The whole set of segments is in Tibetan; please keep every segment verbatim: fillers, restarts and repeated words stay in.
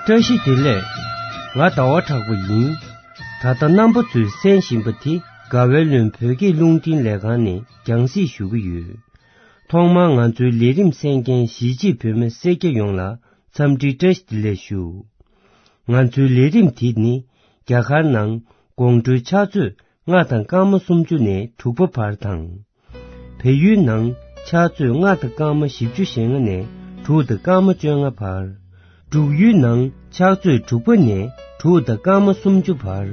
བཀྲ་ཤིས་བདེ་ལེགས། ང་ཟླ་བ་གྲགས་པ་ཡིན། ད་ལྟ་རྣམ་པ་ཚོས་གསན་བཞིན་པ་དེ་དགའ་བའི་ལུང་བོད་སྐད་རླུང་འཕྲིན་ལས་ཁང་ནས་རྒྱང་སྲིང་ཞུ་གི་ཡོད། ཐོག་མར་ང་ཚོའི་ལས་རིམ་གསན་མཁན་གཞིས་བྱེས་བོད་མི་སེར་སྐྱ་ཡོངས་ལ་འཚམས་འདྲི་བཀྲ་ཤིས་བདེ་ལེགས་ཞུ། ང་ཚོའི་ལས་རིམ་དེ་ནི་རྒྱ་གར་ནང་དགོང་དྲོའི་ཕྱག་ཚོད་ལྔ་དང་སྐར་མ་སུམ་ཅུ་ནས་དྲུག་པ་བར་དང་། བལ་ཡུལ་ནང་ཕྱག་ཚོད་ལྔ་དང་སྐར་མ་བཞི་བཅུ་ཞེ་ལྔ་ནས་དྲུག་དང་སྐར་མ་བཅོ་ལྔ་བར། འབྲུག་ཡུལ་ནང་ཕྱག་ཚོད་དྲུག་པ་ནས་དྲུག་དང་སྐར་མ་སུམ་ཅུ་བར།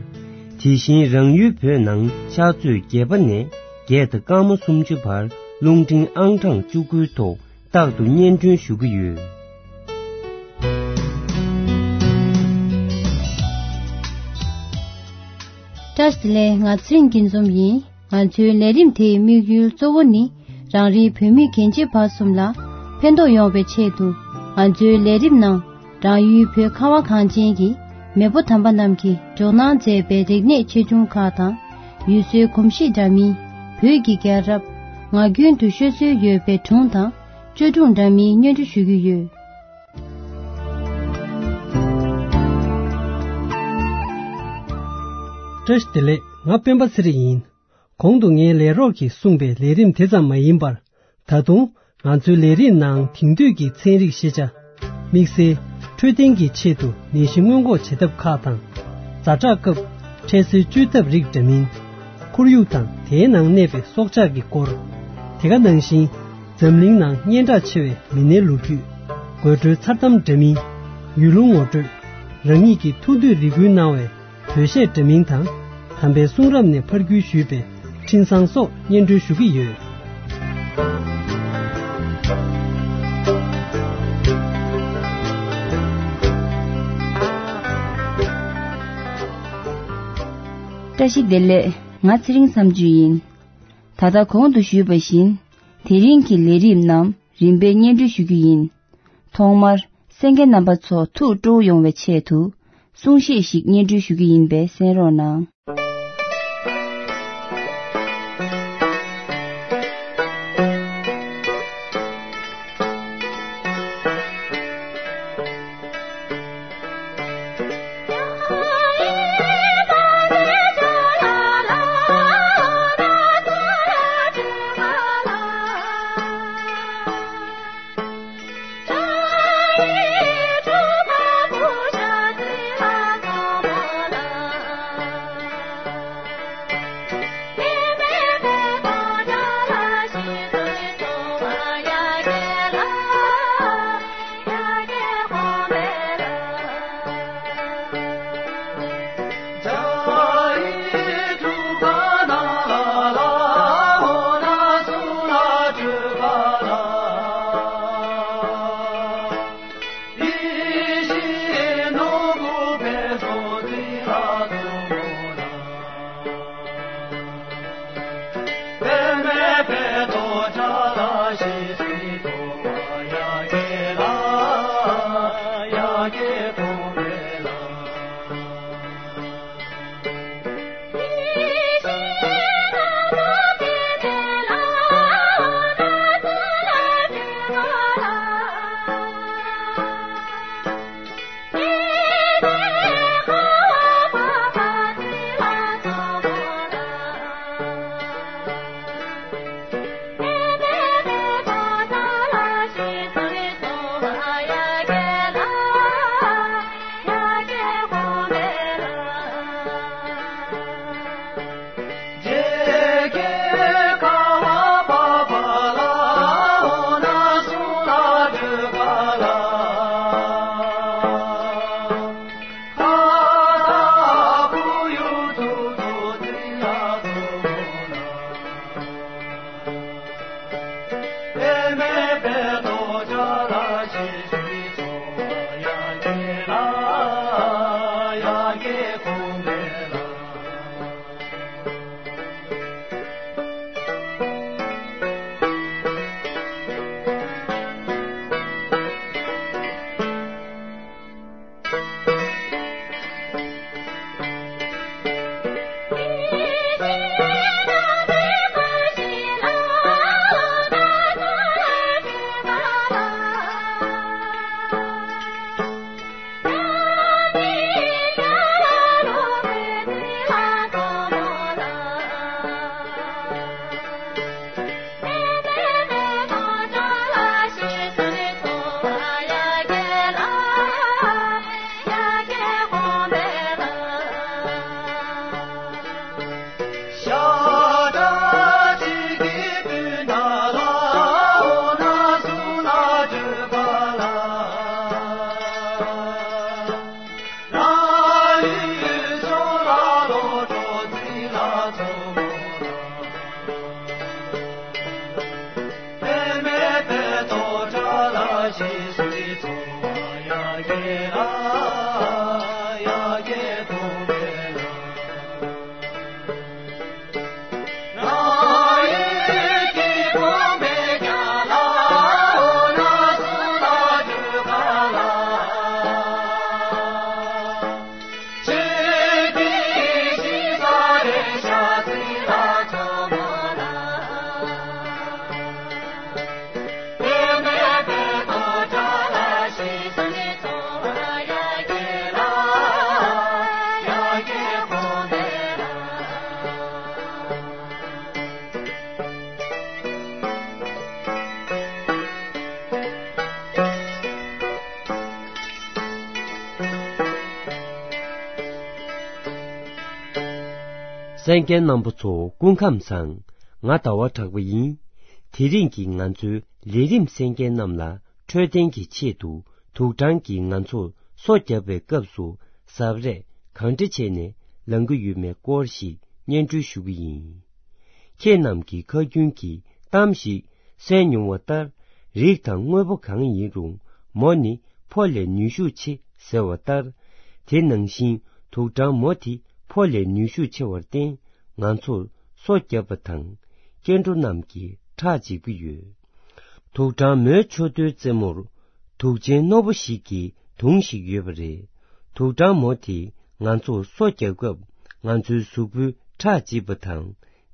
དེ་བཞིན་རང་ཡུལ་བོད་ནང་ཕྱག་ཚོད་བརྒྱད་པ་ནས་བརྒྱད་དང་སྐར་མ་སུམ་ཅུ་བར་རླུང་འཕྲིན་ཨང་གྲངས་བཅུ་དགུའི་ཐོག་རྟག་ཏུ་སྙན་སྒྲོན་ཞུ་གི་ཡོད། བཀྲ་ཤིས་བདེ་ལེགས། ང་ཚེ་རིང་སྐྱིད་འཛོམས་ཡིན། ང་ཚོའི་ལས་རིམ་དེའི་དམིགས་ཡུལ་གཙོ་བོ་ནི་རང་རེའི་བོད་མི་རྒན་བྱིས་བར་གསུམ་ལ་ཕན་ཐོགས་ཡོང་བའི་ཆེད་དུ། ང་ཚོའི་ལས་རིམ་ནང་རང་ཡུལ་བོད་ཁ་བ་གངས་ཅན་གྱི་མེས་པོ་དམ་པ་རྣམས་ཀྱིས་འཇོག་གནང་མཛད་པའི་རིག་གནས་ཆེ་ཆུང་ཁག་དང་། ཡུལ་སྲོལ་གོམས་གཤིས་འདྲ་མིན། བོད་ཀྱི་རྒྱལ་རབས། ངག་རྒྱུན་དུ་ཤོད་སྲོལ་ཡོད་པའི་སྒྲུང་དང་བཅོས་སྒྲུང་འདྲ་མིན་སྙན་སྒྲོན་ཞུ་གི་ཡོད། བཀྲ་ཤིས་བདེ་ལེགས། ང་སྤེན་པ་ཚེ་རིང་ཡིན། གོང་དུ་ངའི་ལས་རོགས་ཀྱིས་གསུངས་པའི་ལས་རིམ་དེ་ཙམ་མ་ཡིན་པར། ད་དུང་ང་ཚོའི་ལས་རིམ་ནང་དེང་དུས་ཀྱི་ཚན་རིག་ཤེས་བྱ། དམིགས་བསལ་འཕྲོད་བསྟེན་གྱི་ཆེད་དུ་ནད་གཞི་སྔོན་འགོག་བྱེད་ཐབས་ཁག་དང་། ཛ་དྲག་སྐབས་འཕྲལ་སེལ་བཅོས་ཐབས་རིགས་འདྲ་མིན། ཁོར་ཡུག་དང་དེའི་ནང་གནས་པའི་སྲོག་ཆགས་ཀྱི་སྐོར། དེ་ག་ནང་བཞིན་འཛམ་གླིང་ནང་སྙན་གྲགས་ཆེ་བའི་མི་སྣའི་ལོ་རྒྱུས། དགོད་བྲོའི་མཚར་གཏམ་འདྲ་མིན། ཡུལ་ལུང་ངོ་སྤྲོད། རང་ཉིད་ཀྱི་ཐུགས་འདོད་རེ་སྐུལ་གནང་བའི་བོད་གཞས་འདྲ་མིན་དང་། དམ་པའི་གསུང་རབ་ནས་ཕར་བརྒྱུད་ཞུས་པའི་འཕྲིན་བཟང་སོགས་སྙན་སྒྲོན་ཞུ་གི་ཡོད། བཀྲ་ཤིས་བདེ་ལེགས། ང་ཚེ་རིང་མཚམས་གཅོད་ཡིན། ད་ལྟ་གོང་དུ་ཞུས་པ་བཞིན། དེ་རིང་གི་ལས་རིམ་རྣམས་རིམ་པས་སྙན་སྒྲོན་ཞུ་རྒྱུ་ཡིན། ཐོག་མར་གསན་མཁན་རྣམ་པ་ཚོ་ཐུགས་སྤྲོ་བོ་ཡོང་བའི་ཆེད་དུ་གསུང་བཤད་ཞིག་སྙན་སྒྲོན་ཞུ་རྒྱུ་ཡིན་པས་གསན་རོགས་གནང་། གསན་མཁན་རྣམ་པ་ཚོ་སྐུ་ཁམས་བཟང་། ང་ཟླ་བ་གྲགས་པ་ཡིན། དེ་རིང་གི་ང་ཚོའི་ལས་རིམ་གསན་མཁན་རྣམས་ལ་འཕྲོད་བསྟེན་གྱི་ཆེད་དུ་དུག་སྦྲང་གིས་ང་ཚོར་སོ་བརྒྱབ་པའི་སྐབས་སུ་གཟབ་རེས་གང་འདྲ་བྱས་ནས་ལང་གི་ཡོད་མེད་སྐོར་ཞིག་སྙན་སྒྲོན་ཞུ་གི་ཡིན། ཁྱེད་རྣམས་ཀྱིས་ཁ་རྒྱུན་གྱི་གཏམ་ཞིག་གསན་མྱོང་བ་ལྟར། རིགས་དང་དངོས་པོ་གང་ཡིན་རུང་མོ་ནི་ཕོ་ལས་ནུས་ཤུགས་ཆེ་ཟེར་བ་ལྟར། དེ་ནང་བཞིན་དུག་སྦྲང་མོ་དེ་ཕོ་ལས་ནུས་ཤུགས་ཆེ་བར་བརྟེན། ང་ཚོར་སོ་བརྒྱབ་པ་དང་སྐྱེ་འགྲོ་རྣམས་ཀྱི་ཁྲག་འཇིབ་ཀྱི་ཡོད། དུག་སྦྲང་མོའི་མཆུ་ཏོའི་རྩེ་མོར་དུག་ཅན་རྣོ་པོ་ཞིག་གི་དུང་ཞིག་ཡོད་པ་རེད། དུག་སྦྲང་མོ་དེས་ང་ཚོར་སོ་བརྒྱབ་སྐབས་ང་ཚོའི་གཟུགས་པོའི་ཁྲག་འཇིབ་པ་དང་།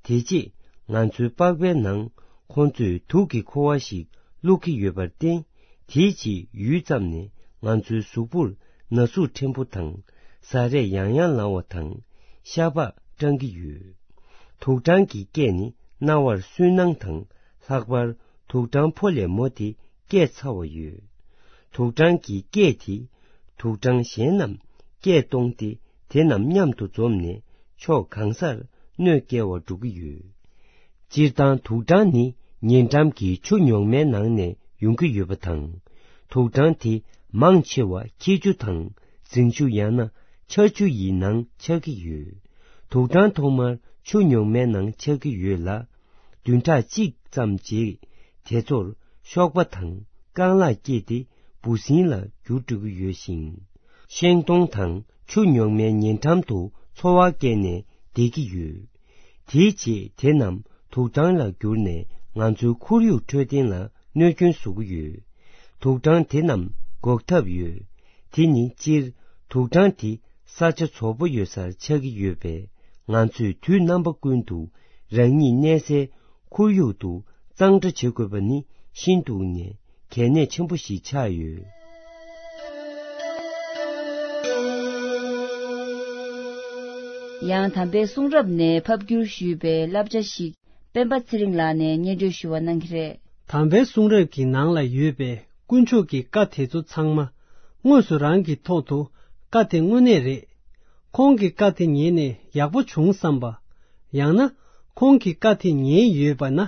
དེ་རྗེས་ང་ཚོའི་པགས་པའི་ནང་ཁོང་ཚོས་དུག་གི་ཁུ་བ་ཞིག་བླུག་གི་ཡོད་པར་བརྟེན། དེའི་རྗེས་ཡུད་ཙམ་ནས་ང་ཚོའི་གཟུགས་པོར་ན་ཟུག་ཕྲན་བུ་དང་། ཟ་རེས་ཡང་ཡང་ལངས་པ་དང་། ཤ་པགས་སྐྲང་གི་ཡོད། དུག་སྦྲང་གི་སྐད་ནི་རྣ་བར་སུན་སྣང་དང་། ལྷག་པར་དུག་སྦྲང་ཕོ་ལས་མོ་དེ་སྐད་ཚ་བ་ཡོད། དུག་སྦྲང་གི་སྐད་དེ་དུག་སྦྲང་གཞན་རྣམས་སྐད་གཏོང་སྟེ། དེ་རྣམས་མཉམ་དུ་འཛོམས་ནས་ཕྱོགས་གང་སར་གནོད་སྐྱེལ་བར་འགྲོ་གི་ཡོད། སྤྱིར་བཏང་དུག་སྦྲང་ནི་ཉེ་འགྲམ་གྱི་ཆུ་ཉུང་མའི་ནང་ནས་ཡོང་གི་ཡོད་པ་དང་། དུག་སྦྲང་དེ་མང་ཆེ་བ་འཁྱིལ་ཆུ་དང་རྫིང་ཆུ་ཡང་ན་ཆར་ཆུ་ཡི་ནང་ཆགས་ཀྱི་ཡོད། དུག་སྦྲང་ཐོག་མར་ཆུ་ཉུང་མའི་ནང་ཆགས་ཀྱི་ཡོད་ལ། བདུན་ཕྲག་གཅིག་ཙམ་རྗེས་དེ་ཚོར་གཤོག་པ་དང་རྐང་ལག་སྐྱེས་ཏེ་འབུ་སྲིན་ལ་འགྱུར་འགྲོ་གི་ཡོད་ཅིང་། ཤིང་སྡོང་དང་ཆུ་ཉུང་མའི་ཉེ་འགྲམ་དུ་འཚོ་བ་སྐྱེལ་ནས་བསྡད་ཀྱི་ཡོད། དེའི་རྗེས་དེ་རྣམས་དུག་སྦྲང་ལ་གྱུར་ནས་ང་ཚོའི་ཁོར་ཡུག་འཕྲོད་བསྟེན་ལ་གནོད་སྐྱོན་བཟོ་གི་ཡོད། དུག་སྦྲང་དེ་རྣམས་འགོག་ཐབས་ཡོད། དེ་ནི་སྤྱིར་དུག་སྦྲང་དེ་ས་ཆ་བཙོག་པོ་ཡོད་སར་ཆགས་ཀྱི་ཡོད་པས། ང་ཚོས་དུས་རྣམ་པ་ཀུན་ཏུ་རང་ཉིད་གནས་སའི་ཁོར་ཡུག་ཏུ་གཙང་སྦྲ་བྱེད་དགོས་པ་ནི་ཤིན་ཏུ་ནས་གལ་གནད་ཆེན་པོ་ཞིག་ཆགས་ཡོད། ཡང་དམ་པའི་གསུང་རབ་ནས་ཕབ་བསྒྱུར་ཞུས་པའི་བསླབ་བྱ་ཞིག་སྤེན་པ་ཚེ་རིང་ལགས་ནས་སྙན་སྒྲོན་ཞུ་བ་གནང་གི་རེད། དམ་པའི་གསུང་རབ་ཀྱི་ནང་ལ་ཡོད་པའི་དཀོན་མཆོག་གི་བཀའ་དེ་ཚོ་ཚང་མ་དངོས་སུ་རང་གི་ཐོག་ཏུ་བཀའ་དེ་དངོས་གནས་རེད། ཁོང་གི་བཀའ་དེ་ཉན་ནས་ཡག་པོ་བྱུང་བསམ་པ། ཡང་ན་ཁོང་གི་བཀའ་དེ་ཉན་ཡོད་པ་ན་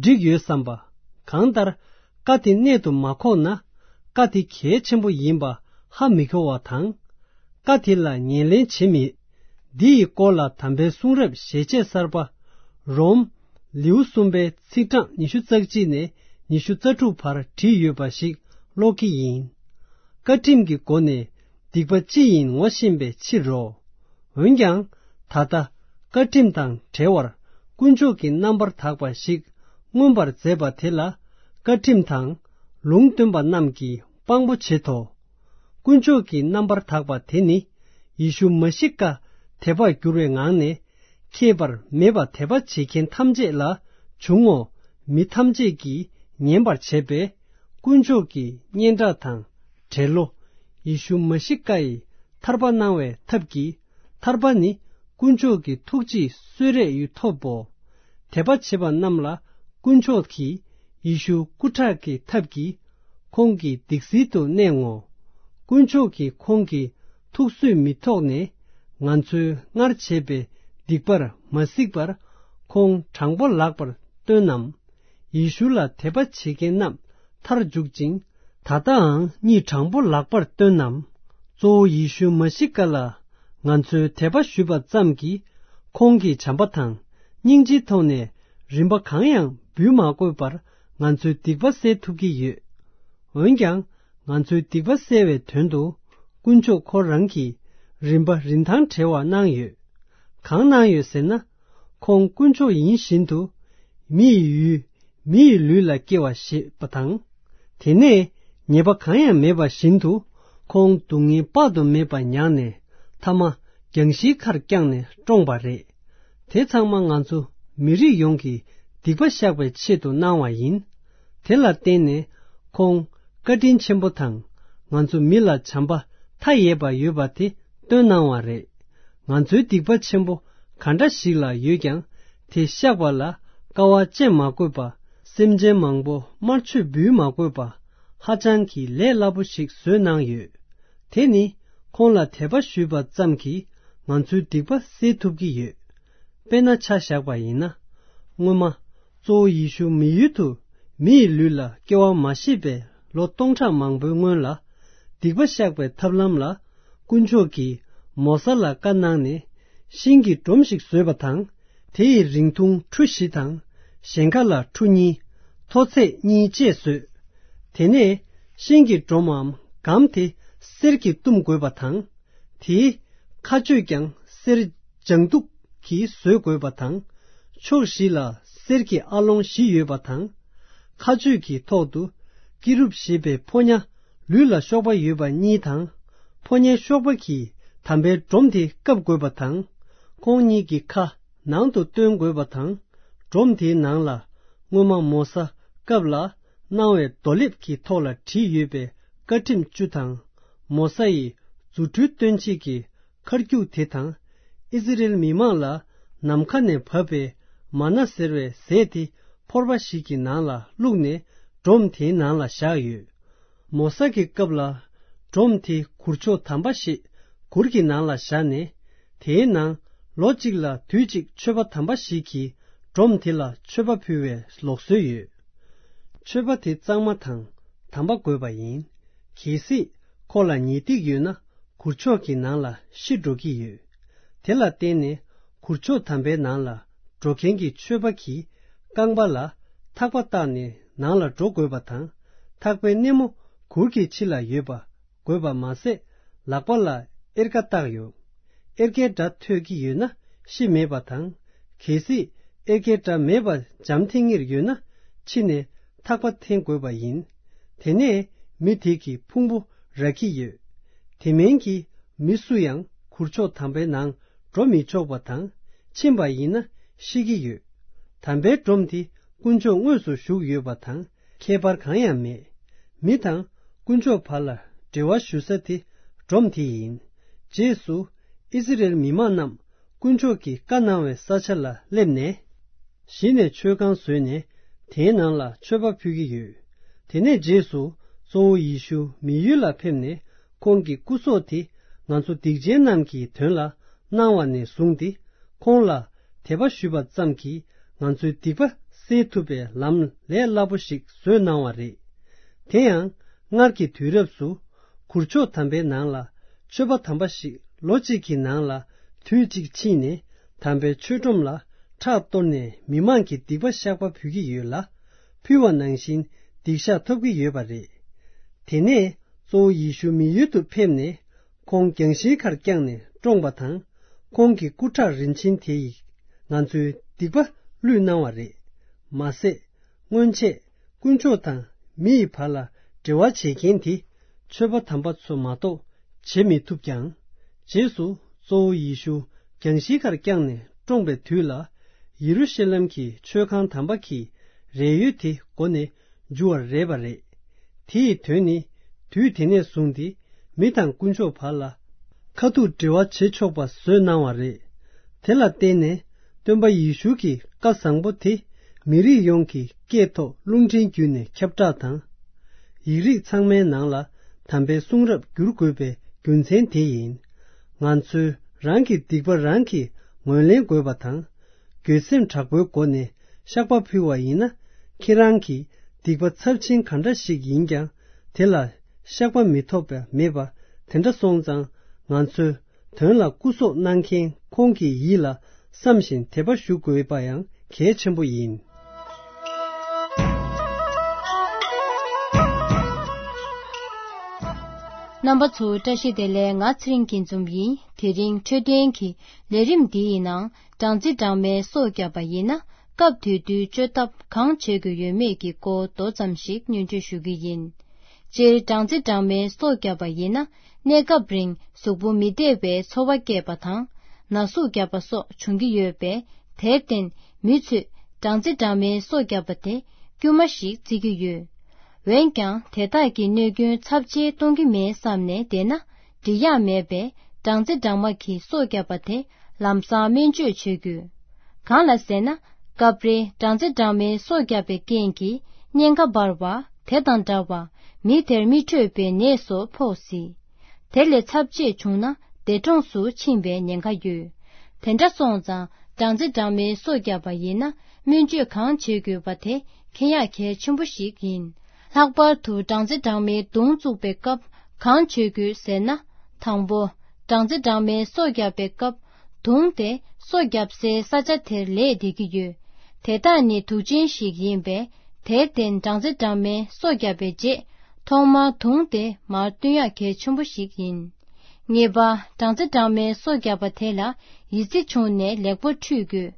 འགྲིག་ཡོད་བསམ་པ། གང་ལྟར་བཀའ་དེ་གནད་དུ་མ་ཁོག་ན་བཀའ་དེ་གལ་ཆེན་པོ་ཡིན་པ་ཧ་མི་གོ་བ་དང་། བཀའ་དེ་ལ་ཉན་ལེན་བྱེད་མེད། འདི་ཡི་སྐོར་ལ་དམ་པའི་གསུང་རབ་ཞལ་ཆད་གསར་པ། རོམ། ལེའུ་གསུམ་པའི་ཚིག་གྲངས་ཉི་ཤུ་རྩ་གཅིག་ནས་ཉི་ཤུ་རྩ་དྲུག་བར་བྲིས་ཡོད་པ་ཞིག་ཀློག་གི་ཡིན། བཀའ་ཁྲིམས་ཀྱི་སྒོ་ནས་སྡིག་པ་ཅི་ཡིན་ངོ་ཤེས་པའི་ཕྱིར་རོ། འོན་ཀྱང་། ད་ལྟ་བཀའ་ཁྲིམས་དང་བྲལ་བར་དཀོན་མཆོག་གི་རྣམ་པར་དག་པ་ཞིག་མངོན་པར་མཛད་པ་དེ་ལ་བཀའ་ཁྲིམས་དང་ལུང་སྟོན་པ་རྣམས་ཀྱིས་དཔང་པོ་བྱེད་དོ། དཀོན་མཆོག་གི་རྣམ་པར་དག་པ་དེ་ནི་ཡེ་ཤུ་མ་ཤི་ཀ་དད་པར་འགྱུར་བའི་ངང་ནས་ཁེགས་པར་མེད་པ་དད་པ་བྱེད་མཁན་ཐམས་ཅད་ལ་འབྱུང་ངོ་། མི་ཐམས་ཅད་ཀྱིས་ཉན་པར་བྱེད་པས་དཀོན་མཆོག་གི་སྙན་གྲགས་དང་འབྲེལ་ལོ། ཡེ་ཤུ་མ་ཤི་ཀ་ཡི་ཐར་པ་གནང་བའི་ཐབས་ཀྱིས་ཐར་པ་ནི་དཀོན་མཆོག་གི་ཐུགས་རྗེས་གསོལ་རས་ཡུ་ཐོབ་བོ། དད་པ་བྱེད་པ་རྣམས་ལ་དཀོན་མཆོག་གིས་ཡེ་ཤུ་སྐུ་ཁྲག་གི་ཐབས་ཀྱིས་ཁོང་གི་སྡིག་སེལ་དུ་གནས་ངོ་། དཀོན་མཆོག་གིས་ཁོང་གི་ཐུགས་བཟོད་མི་ཐོག་ནས་ང་ཚོའི་སྔར་བྱས་པའི་སྡིག་པར་མ་གཟིགས་པར་ཁོང་དྲང་པོ་ལགས་པར་སྟོན་ནམ། ཡེ་ཤུ་ལ་དད་པ་བྱེད་མཁན་རྣམས་མཐར་འཇུག་ཅིང་ད་ལྟའང་གཉིད་དྲང་པོ་ལགས་པར་སྟོན་ནམ། གཙོ་བོ་ཡེ་ཤུ་མ་ཤི་ཀ་ལ་ང་ཚོའི་དད་པ་ཞུས་པ་ཙམ་གྱིས་ཁོང་གི་བྱམས་པ་དང་སྙིང་རྗེའི་ཐོག་ནས་རིན་པ་གང་ཡང་འབུལ་མ་དགོས་པར་ང་ཚོའི་སྡིག་པ་སེལ་ཐུབ་ཀྱི་ཡོད། འོན་ཀྱང་ང་ཚོའི་སྡིག་པ་སེལ་བའི་དོན་དུ་དཀོན་མཆོག་ཁོ་རང་གིས་རིན་པ་རིན་ཐང་བྲལ་བ་གནང་ཡོད། གང་གནང་ཡོད་ཟེར་ན། ཁོང་དཀོན་མཆོག་ཡིན་བཞིན་དུ་མི་ཡི་ཡུལ་མི་ཡི་ལུས་ལ་སྐྱེ་བ་བཞེས་པ་དང་། དེ་ནས་ཉེས་པ་གང་ཡང་མེད་པ་བཞིན་དུ་ཁོང་སྡུག་བསྔལ་དཔག་ཏུ་མེད་པ་མྱངས་ནས་ཐ་མ་རྒྱང་ཤིང་ཁར་བརྐྱངས་ནས་བཀྲོངས་པ་རེད། དེ་ཚང་མ་ང་ཚོ་མི་རིགས་ཡོངས་ཀྱི་སྡིག་པ་བཤགས་པའི་ཆེད་དུ་གནང་བ་ཡིན། དེ་ལ་བརྟེན་ནས་ཁོང་བཀའ་དྲིན་ཆེན་པོ་དང་ང་ཚོ་མི་ལ་བྱམས་པ་མཐའ་ཡས་པ་ཡོད་པ་དེ་སྟོན་གནང་བ་རེད། ང་ཚོའི་སྡིག་པ་ཆེན་པོ་ག་འདྲ་ཞིག་ལ་ཡོད་ཀྱང་དེ་བཤགས་པ་ལ་དཀའ་བ་སྤྱད་མ་དགོས་པ། སེམས་ཅན་མང་པོ་དམར་མཆོད་འབུལ་མ་དགོས་པ། ཧ་ཅང་གི་ལས་སླ་པོ་ཞིག་བཟོས་གནང་ཡོད། དེ་ནི་ཁོང་ལ་དད་པ་ཞུས་པ་ཙམ་གྱིས་ང་ཚོའི་སྡིག་པ་སེལ་ཐུབ་ཀྱི་ཡོད། དཔེར་ན་ཆ་བཞག་པ་ཡིན་ན། སྔོན་མ། གཙོ་བོ་ཡེ་ཤུ་མི་ཡུལ་དུ་མི་ཡི་ལུས་ལ་སྐྱེ་བ་མ་བཞེས་པའི་ལོ་སྟོང་ཕྲག་མང་པོའི་སྔོན་ལ། སྡིག་པ་བཤགས་པའི་ཐབས་ལམ་ལ། དཀོན་མཆོག་གིས་མོ་ས་ལ་བཀའ་གནང་ནས། ཤིང་གི་སྒྲོམ་ཞིག་བཟོས་པ་དང་། དེ་ཡི་རིང་ཐུང་ཁྲུ་བཞི་དང་། ཞེང་ཁ་ལ་ཁྲུ་གཉིས། མཐོ་ཚད་གཉིས་བཅས་བཟོས། དེ་ནས་ཤིང་གི་སྒྲོམ་མམ་སྒམ་དེ་གསེར་གྱིས་བཏུམ་དགོས་པ་དང་། དེའི་ཁ་གཅོད་ཀྱང་གསེར་ལྗང་མདོག་གིས་བཟོས་དགོས་པ་དང་། ཕྱོགས་བཞི་ལ་གསེར་གྱི་ཨ་ལོང་བཞི་ཡོད་པ་དང་། ཁ་གཅོད་ཀྱི་ཐོག་ཏུ་ཀི་རུབ་ཞེས་པའི་ཕོ་ཉ་ལུས་ལ་གཤོག་པ་ཡོད་པ་གཉིས་དང་། ཕོ་ཉའི་གཤོག་པ་གིས་དམ་པའི་སྒྲོམ་དེ་བཀབ་དགོས་པ་དང་། ཁོང་གཉིས་ཀྱི་ཁ་ནང་དུ་བཏོན་དགོས་པ་དང་། སྒྲོམ་དེའི་ནང་ལ་སྔོན་མ་མོ་ས་སྐབས་ལ་གནང་བའི་རྡོ་ལེབ་ཀྱི་ཐོག་ལ་བྲིས་ཡོད་པའི་བཀའ་ཁྲིམས་བཅུ་དང་། མོ་ས་ཡི་རྫུ་འཕྲུལ་སྟོན་བྱེད་ཀྱི་མཁར་རྒྱུག་དེ་དང་། ཨིསི་རེལ་མི་མང་ལ་ནམ་མཁའ་ནས་བབས་པའི་མ་ན་ཟེར་བའི་ཟས་དེ་ཕོར་པ་ཞིག་གི་ནང་ལ་བླུགས་ནས་སྒྲོམ་དེའི་ནང་ལ་བཞག་ཡོད། མོ་ས་གི་སྐབས་ལ་སྒྲོམ་དེ་གུར་མཆོག་དམ་པ་ཞེས་གུར་གྱི་ནང་ལ་བཞག་ནས། དེའི་ནང་ལོ་གཅིག་ལ་དུས་གཅིག་མཆོད་པ་དམ་པ་ཞིག་གིས་སྒྲོམ་དེ་ལ་མཆོད་པ་ཕུལ་བའི་ལུགས་སྲོལ་ཡོད། མཆོད་པ་དེ་གཙང་མ་དང་དམ་པ་དགོས་པ་ཡིན། གལ་སྲིད་ཁོ་ལ་ཉེས་སྡིག་ཡོད་ན། གུར་མཆོག་གི་ནང་ལ་ཤི་འགྲོ་གི་ཡོད། དེ་ལ་བརྟེན་ནས་གུར་མཆོག་དམ་པའི་ནང་ལ་འགྲོ་མཁན་གྱི་མཆོད་པ་གི་རྐང་པ་ལ་ཐག་པ་བཏགས་ནས་ནང་ལ་འགྲོ་དགོས་པ་དང་། ཐག་པའི་སྣེ་མོ་གུར་གྱི་ཕྱི་ལ་ཡོད་པ་དགོས་པ་མ་ཟད། ལག་པ་ལ་གཡེར་ཁ་བཏགས་ཡོད། གཡེར་ཁའི་སྒྲ་ཐོས་ཀྱི་ཡོད་ན་ཤི་མེད་པ་དང་། གལ་སྲིད་གཡེར་ཁའི་སྒྲ་མེད་པ་འཇམ་ཐིང་ངེར་ཡོད་ན། ཕྱི་ནས་ཐག་པ་འཐེན་དགོས་པ་ཡིན། དེ་ནས་མི་དེ་གི་ཕུང་པོ་རག་གི་ཡོད། དེ་མིན་གྱི་མི་སུ་ཡང་གུར་མཆོག་དམ་པའི་ནང་འགྲོ་མི་ཆོག་པ་དང་། ཕྱིན་པ་ཡིན་ན་ཤི་གི་ཡོད། དམ་པའི་སྒྲོམ་དེ་དཀོན་མཆོག་དངོས་སུ་བཞུགས་ཡོད་པ་དང་ཁྱད་པར་གང་ཡང་མེད། མི་དང་དཀོན་མཆོག་བར་ལ་འབྲེལ་བ་ཞུ་ས་དེ་སྒྲོམ་དེ་ཡིན། རྗེས་སུ་ཨིསི་རེལ་མི་མང་རྣམས་དཀོན་མཆོག་གིས་བཀའ་གནང་བའི་ས་ཆ་ལ་སླེབས་ནས། གཞི་ནས་མཆོད་ཁང་བཟོས་ནས་དེའི་ནང་ལ་མཆོད་པ་ཕུལ་གྱི་ཡོད། དེ་ནས་རྗེས་སུ་གཙོ་བོ་ཡེ་ཤུ་མི་ཡུལ་ལ་ཕེབས་ནས། ཁོང་གི་སྐུ་སྲོག་དེ་ང་ཚོ་སྡིག་ཅན་རྣམས་ཀྱི་དོན་ལ་གནང་བ་ནས་བཟུང་སྟེ། ཁོང་ལ་དད་པ་ཞུས་པ་ཙམ་གྱིས་ང་ཚོའི་སྡིག་པ་སེལ་ཐུབ་པའི་ལམ་ལས་སླ་པོ་ཞིག་བཟོས་གནང་བ་རེད། དེ་ཡང་སྔར་གྱི་དུས་རབས་སུ་གུར་མཆོག་དམ་པའི་ནང་ལ་མཆོད་པ་དམ་པ་ཞིག་ལོ་གཅིག་གི་ནང་ལ་དུས་གཅིག་ཕྱིན་ནས། དམ་པའི་མཆོད་སྒྲོམ་ལ་ཁྲག་གཏོར་ནས་མི་མང་གི་སྡིག་པ་བཤགས་པ་ཕུལ་གྱི་ཡོད་ལ། ཕུལ་བ་ནང་བཞིན་སྡིག་བཤགས་ཐོབ་ཀྱི་ཡོད་པ་རེད། དེ་ནས་གཙོ་བོ་ཡེ་ཤུ་མི་ཡུལ་དུ་ཕེབས་ནས། ཁོང་རྒྱང་ཤིང་ཁར་བརྐྱངས་ནས་བཀྲོངས་པ་དང་། ཁོང་གི་སྐུ་ཁྲག་རིན་ཆེན་དེ་ཡིས་ང་ཚོའི་སྡིག་པ་བླུས་གནང་བ་རེད། མ་ཟད། སྔོན་ཆད་དཀོན་མཆོག་དང་མི་ཡི་བར་ལ་འབྲེལ་བ་བྱེད་མཁན་དེ་མཆོད་པ་དམ་པ་ཚོ་མ་གཏོགས་བྱེད་མི་ཐུབ་ཀྱང་། རྗེས་སུ་གཙོ་བོ་ཡེ་ཤུ་རྒྱང་ཤིང་ཁར་བརྐྱངས་ནས་བཀྲོངས་པའི་དུས་ལ། ཡེ་རུ་ཤ་ལེམ་གྱི་མཆོད་ཁང་དམ་པ་གི་རས་ཡོལ་དེ་མགོ་ནས་འགྱུར་བ་རེད་པ་རེད། དེ་ཡི་དོན་ནི། དུས་དེ་ནས་བཟུང་སྟེ་མི་དང་དཀོན་མཆོག་བར་ལ་ཁ་ཐུག་འབྲེལ་བ་བྱེད་ཆོག་པ་བཟོས་གནང་བ་རེད། དེ་ལ་བརྟེན་ནས་སྟོན་པ་ཡེ་ཤུ་གི་བཀའ་བཟང་པོ་དེ་མི་རིགས་ཡོངས་ཀྱི་སྐད་ཐོག་རླུང་འཕྲིན་བརྒྱུད་ནས་ཁྱབ་བསྒྲགས་དང་། ཡིག་རིགས་ཚང་མའི་ནང་ལ་དམ་པའི་གསུང་རབ་བསྒྱུར་དགོས་པའི་རྒྱུ་མཚན་དེ་ཡིན། ང་ཚོས་རང་གི་སྡིག་པ་རང་གིས་ངོས་ལེན་དགོས་པ་དང་། འགྱོད་སེམས་དྲག་པོའི་སྒོ་ནས་བཤགས་པ་ཕུལ་བ་ཡིན་ན། ཁྱེད་རང་གི་སྡིག་པ་ཚབས་ཆེན་ག་འདྲ་ཞིག་ཡིན་ཀྱང་། དེ་ལ་བཤགས་པ་མི་ཐོབ་པ་མེད་པ་དེ་འདྲ་སོང་ཙང་། ང་ཚོའི་དོན་ལ་སྐུ་སྲོག་གནང་མཁན་ཁོང་གི་ཡིད་ལ་བསམ་བཞིན་དད་པ་ཞུ་དགོས་པ་ཡང་གལ་ཆེན་པོ་ཡིན། རྣམ་པ་ཚོ་བཀྲ་ཤིས་བདེ་ལེགས། ང་ཚེ་རིང་སྐྱིད་འཛོམས་ཡིན། དེ་རིང་འཕྲོད་བསྟེན་གྱི་ལས་རིམ་འདིའི་ནང་སྦྲང་རྩི་སྦྲང་མའི་སྲོག་བསྐྱབས་པ་ཡིན་ན། སྐབས་དེ་དུས་བཅོས་ཐབས་གང་བྱེད་དགོས་ཡོད་མེད་ཀྱི་སྐོར་མདོ་ཙམ་ཞིག་སྙན་སྒྲོན་ཞུ་གི་ཡིན། སྤྱིར་སྦྲང་རྩི་སྦྲང་མའི་སྲོག་བསྐྱབས་པ་ཡིན་ན། གནས་སྐབས་རིང་གཟུགས་པོ་མི་བདེ་བའི་ཚོར་བ་སྐྱེས་པ་དང་། ན་ཟུག་བརྒྱབ་པ་སོགས་འབྱུང་གི་ཡོད་པས། དེར་བརྟེན་མི་ཚོས་སྦྲང་རྩི་སྦྲང་མའི་སྲོག་བསྐྱབས་པ་དེ་དཀྱུས་མ་ཞིག་བརྩི་གི་ཡོད། འོན་ཀྱང་དེ་དག་གི་གནོད་སྐྱོན་ཚབས་ཆེ་གཏོང་གི་མེད་བསམ་ནས་བསྡད་ན་འགྲིག་ཡག་མེད་པས། སྦྲང་རྩི་སྦྲང་མ་གི་སྲོག་བསྐྱབས་པ་དེ་ལམ་སང་སྨན་བཅོས་བྱེད་དགོས། གང་ལ་ཟེར་ན། སྐབས་རེ་སྦྲང་རྩི་སྦྲང་མའི་སྲོག་བསྐྱབས་པའི་རྐྱེན་གྱིས་གཉན་ཁ་འབར་བ། དེ་དང་འདྲ་བར་མི་དེར་མིག་འཕྲོད་པའི་ནད་སོགས་ཕོག་སྲིད། དེ་ལས་ཚབས་ཆེ་བྱུང་ན་འདས་གྲོངས་སུ་ཕྱིན་པའི་ཉེན་ཁ་ཡོད། དེ་འདྲ་སོང་ཙང་ སྦྲང་རྩི་སྦྲང་མའི་སོ་བརྒྱབ་པ་ཡིན་ན་སྨན་བཅོས་གང་བྱེད་དགོས་པ་དེ་མཁྱེན་ཡག་གལ་ཆེན་པོ་ཞིག་ཡིན། ལྷག་པར་དུ་སྦྲང་རྩི་སྦྲང་མའི་མདུང་བཙུགས་པའི་སྐབས་གང་བྱེད་དགོས་ཟེར་ན། དང་པོ། སྦྲང་རྩི་སྦྲང་མའི་སོ་བརྒྱབ་པའི་སྐབས་མདུང་དེ་སོ་བརྒྱབ་སའི་ས་ཆ་དེར་ལས་བསྡད་ཀྱི་ཡོད། དེ་དག་ནི་དུག་ཅན་ཞིག་ཡིན་པས། དེར་བརྟེན་སྦྲང་རྩི་སྦྲང་མའི་སོ་བརྒྱབ་པའི་རྗེས་ཐོག་མར་མདུང་དེ་མར་བཏོན་ཡག་གལ་ཆེན་པོ་ཞིག་ཡིན། གཉིས་པ། སྦྲང་རྩི་སྦྲང་མའི་སོ་བརྒྱབ་པ་དེ་ལ་ཡི་ཙི་བྱུང་ནས་ལེགས་པོ་འཁྲུད་དགོས།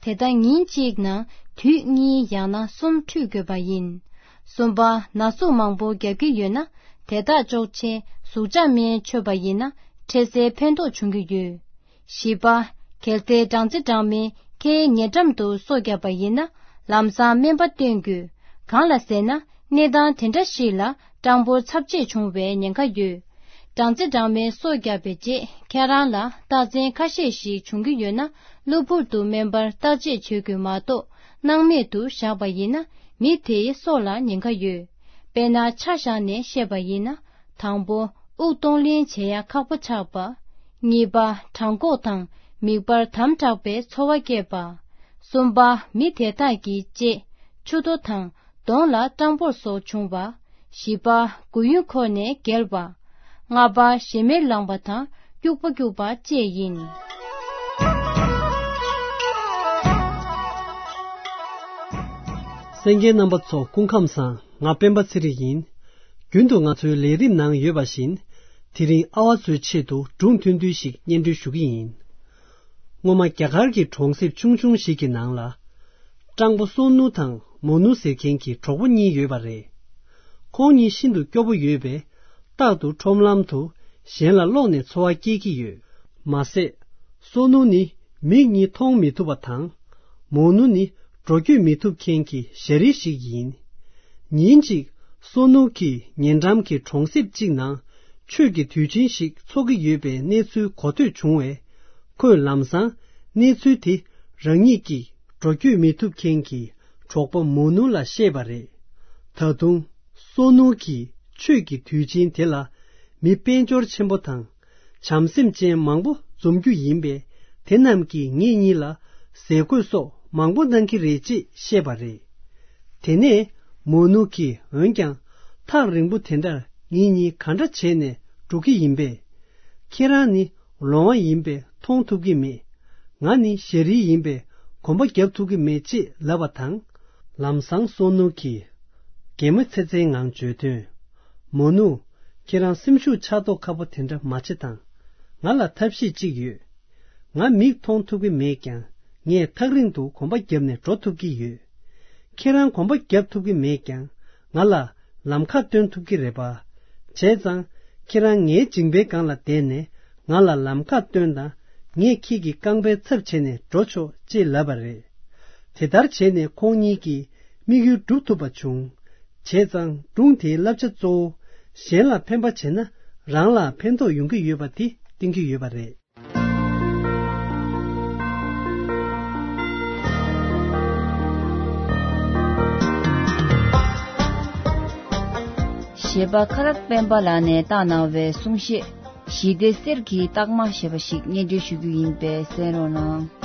དེ་ལྟར་ཉིན་གཅིག་ནང་དུད་གཉིས་ཡང་ན་གསུམ་འཁྲུད་དགོས་པ་ཡིན། གསུམ་པ། ན་ཟུག་མང་པོ་བརྒྱབ་ཀྱི་ཡོད་ན་དེ་དག་གཅོག་ཆེད་ཟུག་གཅོག་སྨན་མཆོད་པ་ཡིན་ན་འཕྲལ་སེལ་ཕན་ཐོགས་འབྱུང་གི་ཡོད། བཞི་པ། གལ་ཏེ་སྦྲང་རྩི་སྦྲང་མས་ཁའི་ཉེ་འགྲམ་དུ་སོ་བརྒྱབ་པ་ཡིན་ན་ལམ་སང་སྨན་པ་བསྟེན་དགོས། གང་ལ་ཟེར་ན་གནས་སྟངས་དེ་འདྲ་ཞིག་ལ་སྤྲང་པོ་ཚབས་ཆེ་བྱུང་བའི་ཉེན་ཁ་ཡོད། སྦྲང་རྩི་སྦྲང་མའི་སོ་བརྒྱབ་པའི་རྗེས་ཁྱེད་རང་ལ་རྟགས་མཚན་ཁ་ཤས་ཤིག་བྱུང་གི་ཡོད་ན་གློ་བུར་དུ་སྨན་པར་བརྟག་དཔྱད་བྱེད་དགོས་མ་གཏོགས་སྣང་མེད་དུ་བཞག་པ་ཡིན་ན་མི་དེའི་སྲོག་ལ་ཉེན་ཁ་ཡོད། དཔེར་ན་ཆ་བཞག་ནས་བཤད་པ་ཡིན་ན། དང་པོ། དབུགས་གཏོང་ལེན་བྱེད་ཡ་ཁག་པོ་ཆགས་པ། གཉིས་པ། བྲང་ཁོག་དང་མིད་པར་དམ་དྲགས་པའི་ཚོར་བ་སྐྱེས་པ། གསུམ་པ། མི་དེ་དག་གི་ལྕེ། མཆུ་ཏོ་དང་གདོང་ལ་སྐྲངས་འབུར་སོགས་བྱུང་བ། བཞི་པ། མགོ་ཡུ་འཁོར་ནས་འགྱེལ་བ། ལྔ་པ། ཞེ་མེར་ལངས་པ་དང་སྐྱུག་པ་སྐྱུག་པ་བཅས་ཡིན། གསན་མཁན་རྣམ་པ་ཚོ་སྐུ་ཁམས་བཟང་། ང་སྤེན་པ་ཚེ་རིང་ཡིན། རྒྱུན་དུ་ང་ཚོའི་ལས་རིམ་ནང་ཡོད་པ་བཞིན། དེ་རིང་ཨ་བ་ཚོའི་ཆེད་དུ་སྒྲུང་ཐུང་ཐུང་ཞིག་སྙན་སྒྲོན་ཞུ་གི་ཡིན། སྔོན་མ་རྒྱ་གར་གྱི་གྲོང་གསེབ་ཆུང་ཆུང་ཞིག་གི་ནང་ལ། སྤྲང་པོ་སོ་ནུ་དང་མོ་ནུ་ཟེར་མཁན་གྱི་གྲོགས་པོ་གཉིས་ཡོད་པ་རེད། ཁོང་གཉིས་ཤིན་ཏུ་སྐྱོ་པོ་ཡོད་པས། རྟག་ཏུ་ཁྲོམ་ལམ་དུ་གཞན་ལ་ལོག་ནས་འཚོ་བ་སྐྱེལ་གྱི་ཡོད། མ་ཟད། སོ་ནུ་ནི་མིག་གཉིས་མཐོང་མི་ཐུབ་པ་དང་། མོ་ནུ་ནི་འགྲོ་སྐྱོད་མི་ཐུབ་མཁན་གྱི་ཞ་རི་ཞིག་ཡིན། ཉིན་གཅིག་སོ་ནུ་གིས་ཉེ་འགྲམ་གྱི་གྲོང་གསེབ་ཅིག་ནང་ཆོས་ཀྱི་དུས་ཆེན་ཞིག་འཚོགས་ཀྱི་ཡོད་པའི་གནས་ཚུལ་གོ་ཐོས་བྱུང་བས། ཁོས་ལམ་སང་གནས་ཚུལ་དེ་རང་ཉིད་ཀྱི་འགྲོ་སྐྱོད་མི་ཐུབ་མཁན་གྱི་གྲོགས་པོ་མོ་ནུ་ལ་བཤད་པ་རེད། ད་དུང་སོ་ནུ་གིས་ཆོས་ཀྱི་དུས་ཆེན་དེ་ལ་མི་དཔལ་འབྱོར་ཆེན་པོ་དང་། བྱམས་སེམས་ཅན་མང་པོ་འཛོམས་རྒྱུ་ཡིན་པས། དེ་རྣམས་ཀྱིས་ངེད་གཉིས་ལ་ཟས་གོས་སོགས་མང་པོ་གནང་གི་རེད་ཅེས་བཤད་པ་རེད། དེ་ནས་མོ་ནུ་གིས་འོན་ཀྱང་ཐག་རིང་པོ་དེ་འདྲར་ངེད་གཉིས་ག་འདྲ་བྱས་ནས་འགྲོ་གི་ཡིན་པས། ཁྱེད་རང་ནི་ལོང་བ་ཡིན་པས་མཐོང་ཐུབ་ཀྱི་མེད། ང་ནི་ཞ་རི་ཡིན་པས་གོམ་པ་རྒྱབ་ཐུབ་ཀྱི་མེད་ཅེས་ལབ་པ་དང་། ལམ་སང་སོ་ནུ་གིས་གད་མོ་ཚེར་ཚེར་ངང་བརྗོད་དོན། མོ་ནུ། ཁྱེད་རང་སེམས་ཤུགས་ཆག་མདོག་ཁ་པོ་དེ་འདྲ་མ་བྱེད་དང་། ང་ལ་ཐབས་ཤེས་གཅིག་ཡོད། ང་མིག་མཐོང་ཐུབ་ཀྱི་མེད་ཀྱང་ངས་ཐག་རིང་དུ་གོམ་པ་བརྒྱབ་ནས་འགྲོ་ཐུབ་ཀྱི་ཡོད། ཁྱེད་རང་གོམ་པ་བརྒྱབ་ཐུབ་ཀྱི་མེད་ཀྱང་ང་ལ་ལམ་ཁ་སྟོན་ཐུབ་ཀྱི་རེད་པ། བྱས་ཙང་ཁྱེད་རང་ངའི་མཇིང་པའི་སྒང་ལ་བསྡད་ནས་ང་ལ་ལམ་ཁ་སྟོན་དང་། ངས་ཁྱེད་ཀྱི་རྐང་པའི་ཚབ་བྱས་ནས་འགྲོ་ཆོག་ཅེས་ལབ་པ་རེད། དེ་ལྟར་བྱས་ནས་ཁོང་གཉིས་ཀྱི་དམིགས་ཡུལ་འགྲུབ་ཐུབ་པ་བྱུང་། བྱས་ཙང་སྒྲུང་དེའི་བསླབ་བྱ་གཙོ་བོ། གཞན་ལ་ཕན་པ་བྱས་ན་རང་ལ་ཕན་ཐོགས་ཡོང་གི་ཡོད་པ་དེ་བསྟན་གྱི་ཡོད་པ་རེད། གཞས་པ་ཁ་རག་སྤེན་པ་ལགས་ནས་བཏང་གནང་བའི་གསུང་བཤད། ཞི་བདེ་གསེར་གྱི་རྟགས་མ་ཞེས་པ་ཞིག་སྙན་སྒྲོན་ཞུ་རྒྱུ་ཡིན་པས་གསན་རོགས་གནང་།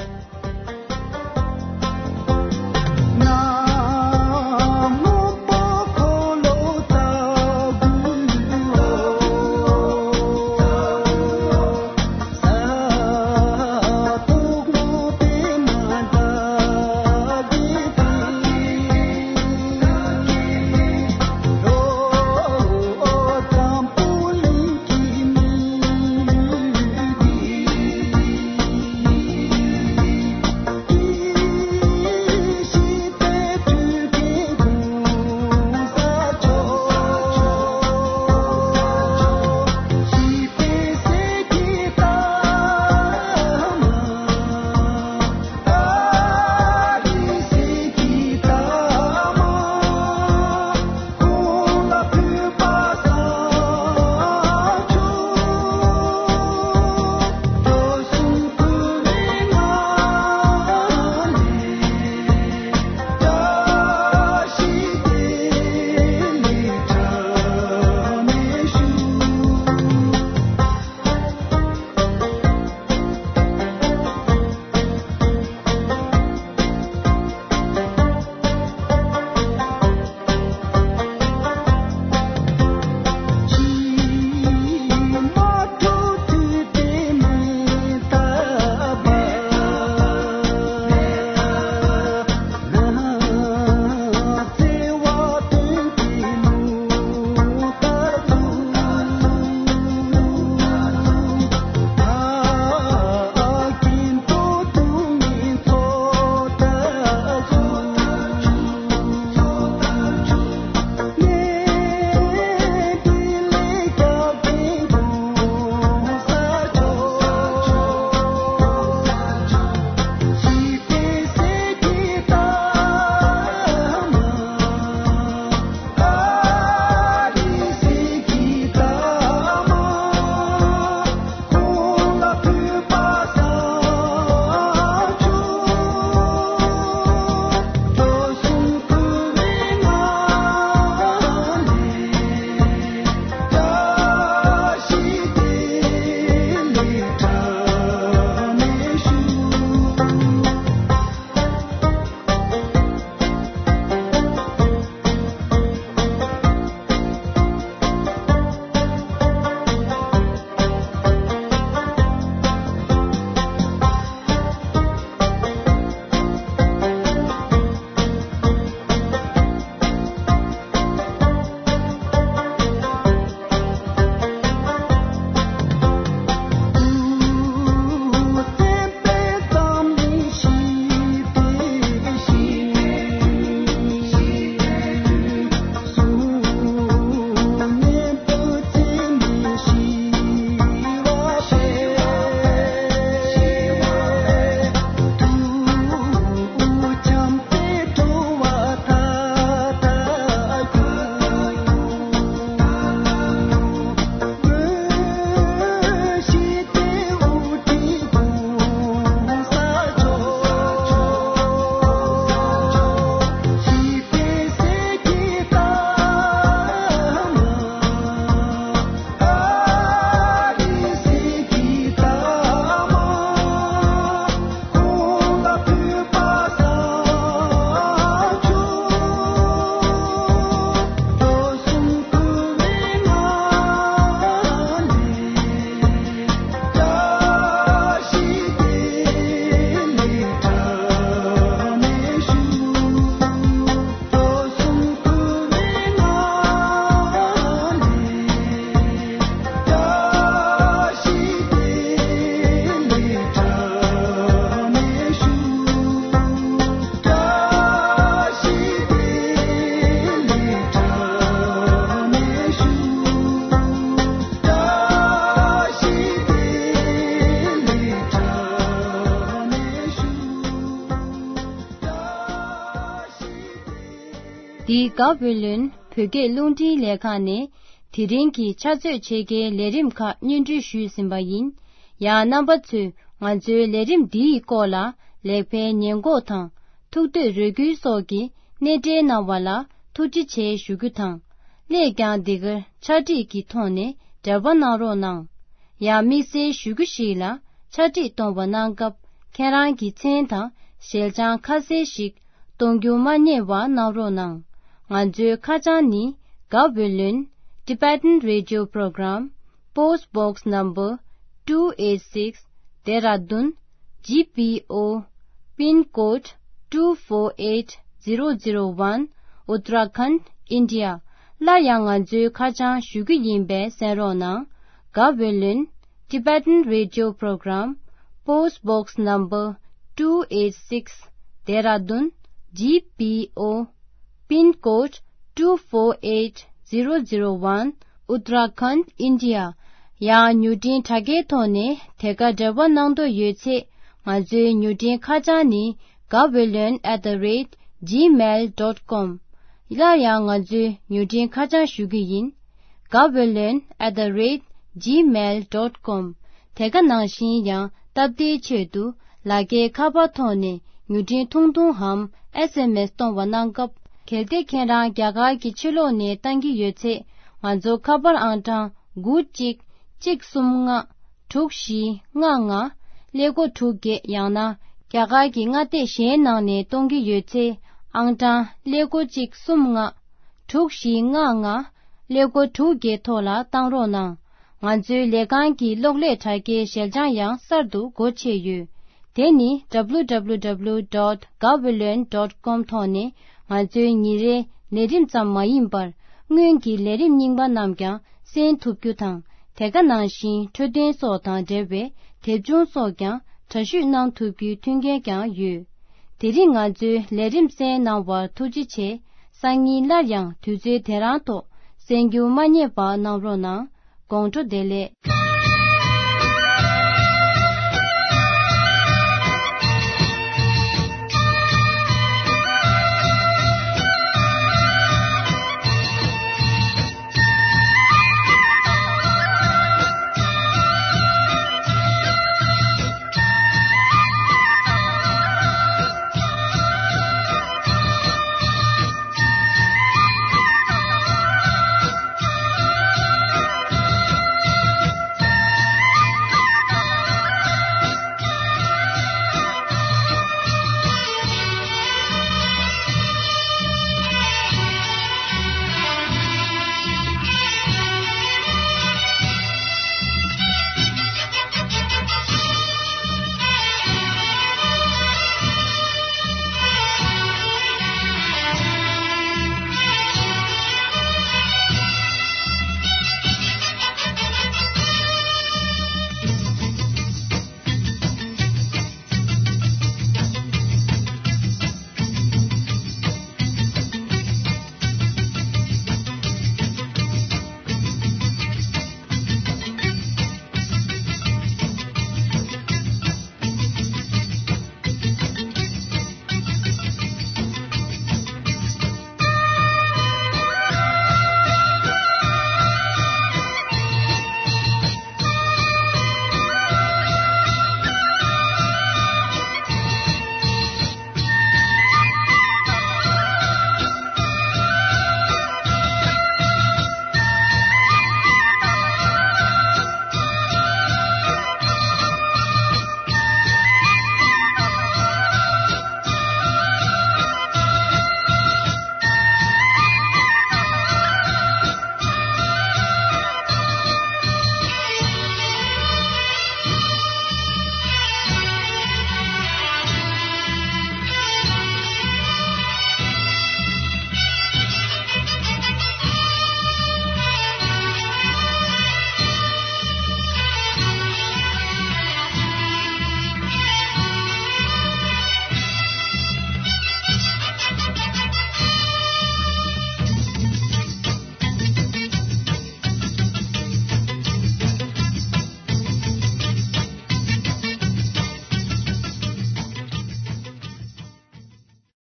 འདི་ག་བོད་ལོན་བོད་སྐད་རླུང་འཕྲིན་ལས་ཁང་ནས་དེ་རིང་གི་ཕྱག་ཚོད་ཕྱེད་ཀའི་ལས་རིམ་ཁག་སྙན་སྒྲོན་ཞུས་ཟིན་པ་ཡིན། ཡང་རྣམ་པ་ཚོས་ང་ཚོའི་ལས་རིམ་འདིའི་སྐོར་ལ་ལེགས་སྤེལ་ཉེས་འགོག་དང་ཐུགས་འདོད་རེ་སྐུལ་སོགས་ཀྱི་གནས་འབྲེལ་གནང་བ་ལ་ཐུགས་རྗེ་ཆེ་ཞུ་རྒྱུ་དང་། སླད་ཀྱང་འདི་གར་ཕྱག་བྲིས་ཀྱི་ཐོག་ནས་འབྲེལ་བ་གནང་རོགས་གནང་། ཡང་དམིགས་བསལ་ཞུ་རྒྱུ་ཞིག་ལ། ཕྱག་བྲིས་གཏོང་བ་གནང་སྐབས་ཁྱེད་རང་གི་མཚན་དང་ཞལ་བྱང་ཁ་གསལ་ཞིག་གཏོང་རྒྱུ་མ་བསྙེལ་བ་གནང་རོགས་གནང་། ང་ཚོའི་ཁ་བྱང་ནི། Gaweylon Tibetan Radio Program, Post Box Number two eight six, Dehradun G P O, Pin Code two four eight zero zero one, Uttarakhand, India. སླར་ཡང་ང་ཚོའི་ཁ་བྱང་ཞུ་རྒྱུ་ཡིན་པས་གསན་རོགས་གནང་། Gaweylon Tibetan Radio Program, Post Box Number two eight six, Dehradun G P O, Pin Code two four eight zero zero one, Uttarakhand, India. ཡང་མྱུར་འཕྲིན་དྲ་རྒྱའི་ཐོག་ནས་དེ་ག་འབྲེལ་བ་གནང་འདོད་ཡོད་ཚེ། ང་ཚོའི་མྱུར་འཕྲིན་ཁ་བྱང་ནི། Gaweylon at the rate gmail dot com. སླར་ཡང་ང་ཚོའི་མྱུར་འཕྲིན་ཁ་བྱང་ཞུ་རྒྱུ་ཡིན། Gaweylon at the rate gmail dot com. དེ་ག་ནང་བཞིན་ཡང་སྟབས་བདེའི་ཆེད་དུ་ལག་འཁྱེར་ཁ་པར་ཐོག་ནས་མྱུར་འཕྲིན་ཐུང་ཐུང་འམ་ཨེས་ཨེམ་ཨེས་གཏོང་བ་གནང་སྐབས། གལ་ཏེ་ཁྱེད་རང་རྒྱ་གར་གྱི་ཕྱི་ལོགས་ནས་བཏང་གི་ཡོད་ཚེ། ང་ཚོ་ཁ་པར་ཨང་གྲངས་དགུ་གཅིག་གཅིག་གསུམ་ལྔ། དྲུག་བཞི་ལྔ་ལྔ། ཀླད་ཀོར་དྲུག་བརྒྱད། ཡང་ན་རྒྱ་གར་གྱི་མངའ་སྡེ་གཞན་ནང་ནས་གཏོང་གི་ཡོད་ཚེ། ཨང་གྲངས་ཀླད་ཀོར་གཅིག་གསུམ་ལྔ། དྲུག་བཞི་ལྔ་ལྔ། ཀླད་ཀོར་དྲུག་བརྒྱད་ཐོག་ལ་བཏང་རོགས་གནང་། ང་ཚོའི་ལས་ཁང་གི་གློག་ཀླད་དྲ་རྒྱའི་ཞལ་བྱང་ཡང་གསར་དུ་སྒོ་ཕྱེ་ཡོད། དེ་ནི་W W W dot gaweylon dot com ཐོག་ནས་ང་ཚོའི་ཉིན་རེའི་ལས་རིམ་ཙམ་མ་ཡིན་པར། སྔོན་གྱི་ལས་རིམ་རྙིང་པ་རྣམས་ཀྱང་གསན་ཐུབ་རྒྱུ་དང་། དེ་ག་ནང་བཞིན་འཕྲོད་བསྟེན་སོགས་དང་འབྲེལ་བའི་དེབ་ཆུང་སོགས་ཀྱང་འདྲ་བཤུས་གནང་ཐུབ་རྒྱུའི་མཐུན་རྐྱེན་ཀྱང་ཡོད། དེ་རིང་ང་ཚོའི་ལས་རིམ་གསན་གནང་བར་ཐུགས་རྗེ་ཆེ། སང་ཉིན་སླར་ཡང་དུས་ཚོད་དེ་རང་ཐོག་གསན་རྒྱུ་མ་བསྙེལ་བ་གནང་རོགས་གནང་། དགོང་དྲོ་བདེ་ལེགས།